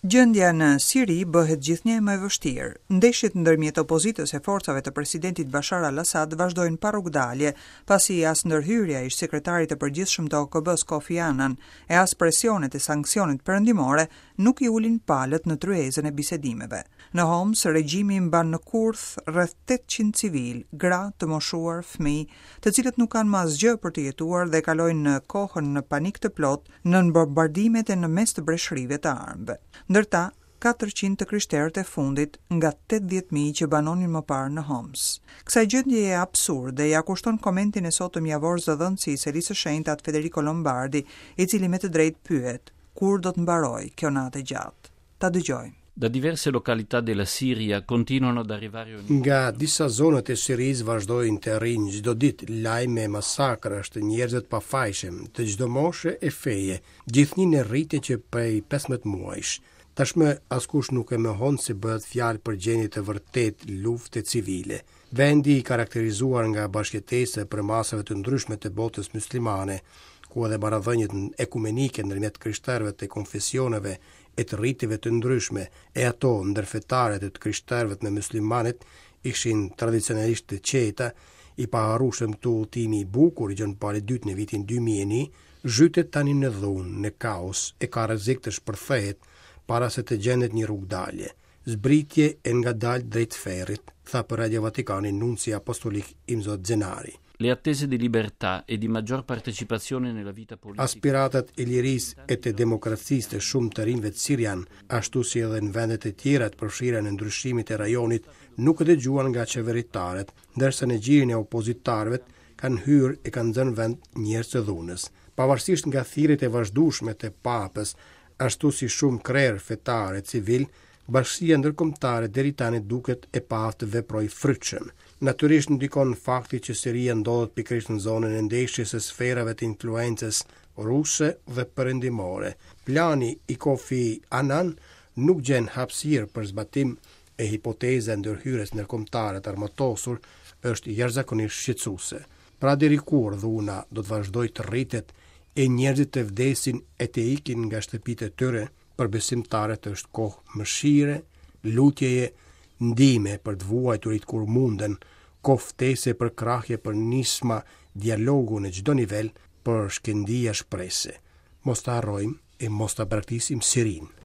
Gjendja në Siri bëhet gjithnjë e më e vështirë. Ndeshjet ndërmjet opozitës e forcave të presidentit Bashar al-Assad vazhdojnë pa rrugëdalje, pasi as ndërhyrja e ish-sekretarit të përgjithshëm të OKB-së Kofi Annan e as presionet e sanksionet perëndimore nuk i ulin palët në tryezën e bisedimeve. Në Homs, regjimi mban në kurth rreth 800 civilë, gra, të moshuar, fëmijë, të cilët nuk kanë më asgjë për të jetuar dhe kalojnë kohën në panik të plotë nën bombardimet e në mes të breshërive të armëve. Ndër ta, 400 të krishterët e fundit nga 80.000 që banonin më parë në Homs. Kësaj gjendjeje absurde ia kushton komentin e sotëm javor zëdhënësi i Selisë së Shenjtë At Federico Lombardi, i cili me të drejtë pyet, kur do të mbarojë kjo natë e gjatë? Ta dëgjojmë. Da diverse località della Siria continuano ad arrivare ogni Nga disa zona të Sirisë vazhdojnë të arrijnë çdo ditë lajme masakrash të njerëzve të pafajshëm, të çdo moshe e feje, gjithnjë në rritje që prej 15 muajsh. Tashmë askush nuk e mohon se bëhet fjalë për gjendje të vërtetë lufte civile. Vendi i karakterizuar nga bashkëjetesa e përmasave të ndryshme të botës muslimane, ku edhe marrëdhëniet ekumenike ndërmjet krishterëve të konfesioneve e të riteve të ndryshme, e ato ndërfetare të të krishterëve me muslimanët ishin tradicionalisht të qeta, i paharrueshëm këtu udhëtimi i bukur i Gjon Palit II në vitin 2001, zhytet tani në dhunë, në kaos, e ka rrezik të shpërthehet para se të gjendet një rrugëdalje. Zbritje e ngadaltë drejt ferrit, tha për Radio Vatikanin nunci apostolik Imzot Zenari. Le attese di libertà e di maggior partecipazione nella vita politica. Aspiratat e lirisë e të demokracisë të shumë të rinjve sirianë, ashtu si edhe në vendet e tjera të përfshira në ndryshimet e rajonit, nuk u dëgjuan nga qeveritarët, ndërsa në gjirin e opozitarëve kanë hyrë e kanë zënë vend njerëz të dhunës. Pavarësisht nga thirrjet e vazhdueshme të papës, ashtu si shumë krerë fetarë e civilë, bashkësia ndërkombëtare deri tani duket e paaftë të veprojë frytshëm. Natyrisht ndikon fakti që Siria ndodhet pikërisht në zonën e ndeshjes së sferave të influencës ruse dhe perëndimore. Plani i Kofi Annan nuk gjen hapësirë për zbatim e hipoteza e ndërhyrjes ndërkombëtare të armatosur është jashtëzakonisht shqetësuese. Pra deri kur dhuna do të vazhdojë të rritet e njerëzit të vdesin e të ikin nga shtëpitë e tyre, për besimtarët është kohë mëshire, lutjeje, ndihme për të vuajturit kur munden, kohë ftese përkrahje për nisma dialogu në çdo nivel për shkëndija shprese. Mos ta harrojmë e mos ta braktisim Sirinë.